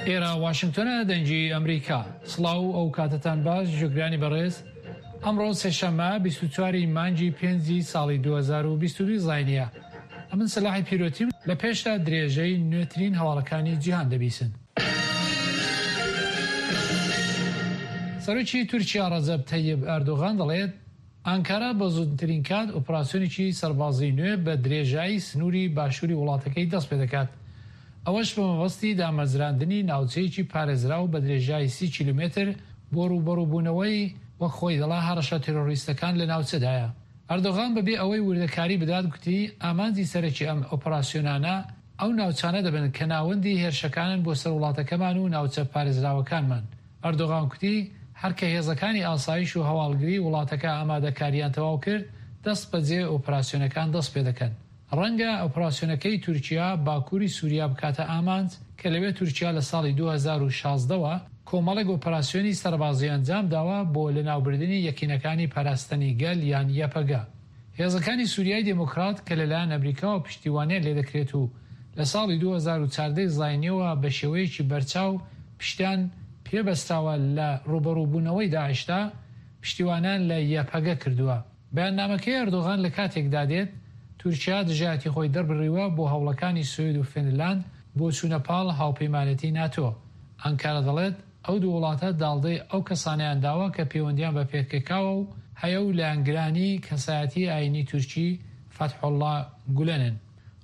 ئێرە واشنگتۆنە دەنگی ئەمریکا. سڵاو ئەو کاتەتان باش جوگرانی بەڕێز ئەمڕۆ سێشەممە 24 ی مانگی پێنجی ساڵی 2022 زاینیە ئەمن سەلاحی پیرۆتیم لە پێشدا درێژەی نوێترین هەواڵەکانی جیهان دەبیسن. سەرۆکی تورکیا ڕەجەب تەیب ئەردۆغان دەڵێت، ئانکارا بە زووترین کات ئۆپراسیۆنێکی سەربازیی نوێ بە درێژایی سنووری باشووری وڵاتەکەی دەستپێدەکات، ئەوەش بە مەبەستی دامەزراندنی ناوچەیەکی پارێزراو بە درێژایی سی کیلۆمەتر بۆ ڕووبەڕووبوونەوەی وەک خۆی دەڵا هەڕەشە تیرۆریستەکان لە ناوچەدایە. ئەردۆغان بەبێ ئەوەی وردەکاری بدات گوتی، ئامانجی سەرەکی ئەم ئۆپراسیۆنانە ئەو ناوچانە دەبن کە ناوەندی هێرشەکانن بۆ سەر وڵاتەکەمان و ناوچە پارێزراوەکانمان. ئەردۆغان کوتی، هەر کە هێزەکانی ئاسایش و هەواڵگریی وڵاتەکە ئامادەکارییان تەواو کرد، دەستبەجێ ئۆپراسیۆنەکان دەستپێدەکەن. ڕەنگە ئۆپراسیۆنەکەی تورکیا باکووری سووریا بکاتە ئامانج کە لەوێ تورکیا لە ساڵی 2016 وە کۆمەڵێک ئۆپراسیۆنی سەربازی ئەنجامداوە بۆ لەناوبردنی یەکینەکانی پاراستنی گەل یان یەپەگە. هێزەکانی سوریای دێمۆکرات کە لەلایەن ئەمریکاوە پشتیوانیان لێدەکرێت و لە ساڵی 2014 ی زاینیەوە بە شێوەیەکی بەرچاو پشتیان پێ بەستراوە لە ڕووبەڕووبوونەوەی داعشدا، پشتیوانیان لە یەپەگە کردووە. بەیاننامەکەی ئەردۆغان لە کاتێکدا دێت، تورکیا دژایەتی خۆی دەربڕیوە بۆ هەوڵەکانی سوید و فنلاند بۆ چوونە پاڵ هاوپەیمانێتی ناتۆ. ئانکارا دەڵێت، ئەو دوو وڵاتە داڵدەی ئەو کەسانەیان داوە کە پەیوەندیان بە پێکەکاوە و هەیە و لایەنگرانی کەسایەتی ئایینی تورکی فەتحوڵڵا گولەنن.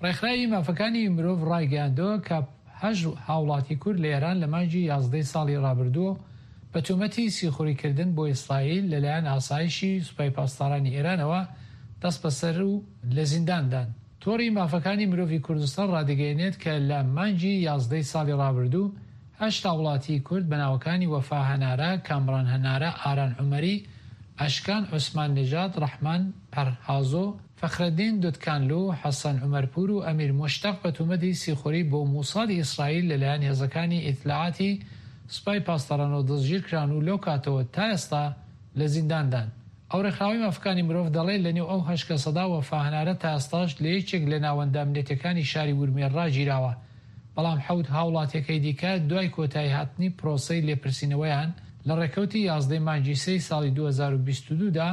ڕێکخراوی مافەکانی مرۆڤ ڕایگەیاندووە کە هەشت هاوڵاتی کورد لە ئێران لە مانگی یازدەی ساڵی ڕابردوو بە تۆمەتی سیخوڕیکردن بۆ ئیسرائیل لەلایەن ئاسایشی سوپای پاسدارانی ئێرانەوە دەستبەسەر و لە زینداندان. تۆڕی مافەکانی مرۆڤی کوردستان ڕادەگەیەنێت کە لە مانگی یازدەی ساڵی ڕابردوو هەشت هاوڵاتیی کورد بە ناوەکانی وەفا هەنارە، کامڕان هەنارە، ئاران عومەری، ئەشکان عوسمان نژاد، ڕەحمان پەرهازۆ، فەخرەدین دودکانلو، حەسەن عومەرپوور و ئەمیر موشتەق بە تومەتی سیخوری بۆ موسادی ئیسرائیل لەلایەن هێزەکانی ئیتلاعاتی سوپای پاسدارانەوە دەستگیرکران و لەو کاتەوە تا ئێستا لە زینداندان. ئەو ڕێکخراوەی مافەکانی مرۆڤ دەڵێت لەنێو ئەو هەشت کەسەدا وەفا هەنارە تا ئێستاش لە یەکێک لە ناوەندە ئەمنیەتیەکانی شاری ورمێ ڕاگیراوە، بەڵام حەوت هاوڵاتیەکەی دیکە دوای کۆتاییهاتنی پرۆسەی لێپرسینەوەیان لە ڕێکەوتی یازدەی مانگی سێی ساڵی 2022 دا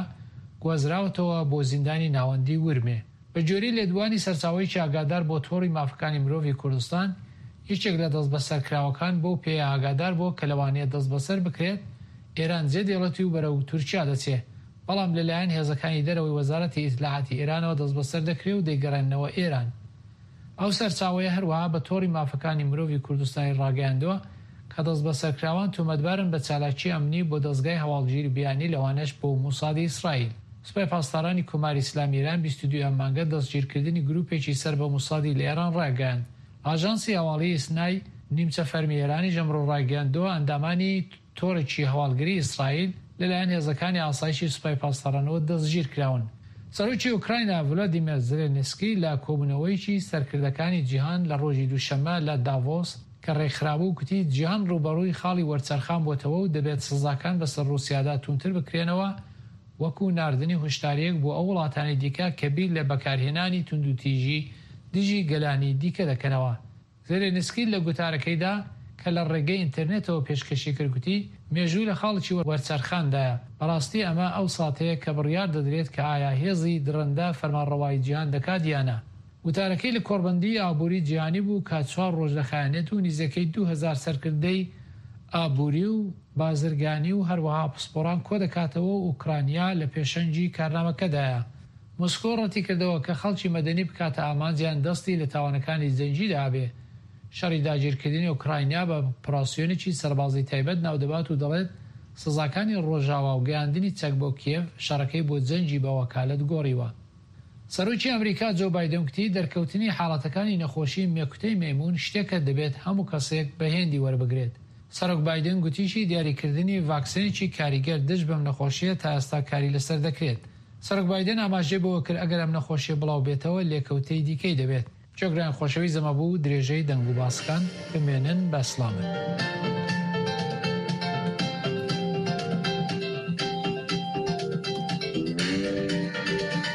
گوازراوەتەوە بۆ زیندانی ناوەندی ورمێ. بە گوێرەی لێدوانی سەرچاوەیەکی ئاگادار بۆ تۆڕی مافەکانی مرۆڤی کوردستان، یەکێک لە دەستبەسەرکراوەکان بەو پێیە ئاگادار بووە کە لەوانەیە دەستبەسەر بکرێت، ئێران جێدێڵێت و بەرەو تورکیا دەچێ، بەڵام لەلایەن هێزەکانی دەرەوەی وەزارەتی ئیتلاعاتی ئێرانەوە دەستبەسەر دەکرێ و دەیگەڕێننەوە ئێران. ئەو سەرچاوەیە هەروەها بە تۆڕی مافەکانی مرۆڤی کوردستانی ڕاگەیاندووە کە دەستبەسەرکراوان تۆمەتبارن بە چالاکی ئەمنی بۆ دەزگای هەواڵگیری بیانی لەوانەش بۆ موسادی ئیسرائیل. سوپای پاسدارانی کۆماری ئیسلامی ئێران 22 ئەم مانگە دەستگیرکردنی گروپێکی سەر بە موسادی لە ئێران ڕاگەیاند. ئاژانسی هەواڵی ئیسنای نیمچە فەرمی ئێرانیش ئەمڕۆ ڕایگەیاندووە ئەندامانی تۆڕێکی هەواڵگری ئیسرائیل لەلایەن هێزەکانی ئاسایشی سوپای پاسدارانەوە دەستگیرکراون. سەرۆکی ئۆکراینا ڤلادیمێر زێلێنسکی لە کۆبوونەوەیەکی سەرکردەکانی جیهان لە ڕۆژی دووشەممە لە داڤۆس کە ڕێکخرابوو گوتی جیهان ڕووبەڕووی خاڵی وەرچەرخان بۆتەوە و دەبێت سزاکان بەسەر ڕووسیادا تووندتر بکرێنەوە وەکو ناردنی هۆشدارییەک بۆ ئەو وڵاتانەی دیکە کە بیر لە بەکارهێنانی توندوتیژی دژی گەلانی دیکە دەکەنەوە. زێلێنسکی لە گوتارەکەیدا کە لە ڕێگەی ئینتەرنێتەوە پێشکەشی کرد گوتی، مێژوو لە خاڵێکی وەرچەرخاندایە، بەڕاستی ئەمە ئەو ساتەیە کە بڕیار دەدرێت کە ئایا هێزی دڕندە فەرمانڕەوایی جیهان دەکات یا نا. گوتارەکەی لە کۆڕبەندیی ئابووری جیهانی بوو کە چوار ڕۆژ دەخایەنێت و نیزیکەی 2000 سەرکردەی ئابووری و بازرگانی و هەروەها پسپۆڕان کۆدەکاتەوە و ئۆکرانیا لە پێشەنگی کارنامەکەدایە. مۆسکۆ ڕەتیکردەوە کە خەڵکی مەدەنی بکاتە ئامانج یان دەستی لە تاوانەکانی جەنگیدا هەبێ. شەڕی داگیرکردنی ئۆکراینا بە ئۆپراسیۆنێکی سەربازی تایبەت ناودەبات و دەڵێت سزاکانی ڕۆژاوا و گەیاندنی چەک بۆ کیێڤ شەڕەکەی بۆ جەنگی بە وەکالەت گۆڕیوە. سەرۆکی ئەمریکا جۆ بایدن گوتی دەرکەوتنی حاڵەتەکانی نەخۆشی مێکوتەی مەیموون شتێکە دەبێت هەموو کەسێک بە هێندی وەربگرێت. سەرۆک بایدن گوتیشی دیاریکردنی ڤاکسینێکی کاریگەر دژ بەم نەخۆشییە تا ئێستا کاری لەسەر دەکرێت. سەرۆک بایدن ئاماژەی بەوە کرد ئەگەر ئەم نەخۆشییە بڵاو بێتەوە لێکەوتەی دیکەی دەبێت. جێگران خۆشەویست ئەمە بوو درێژەی دەنگ و باسەکان بمێنن بە سڵامەت.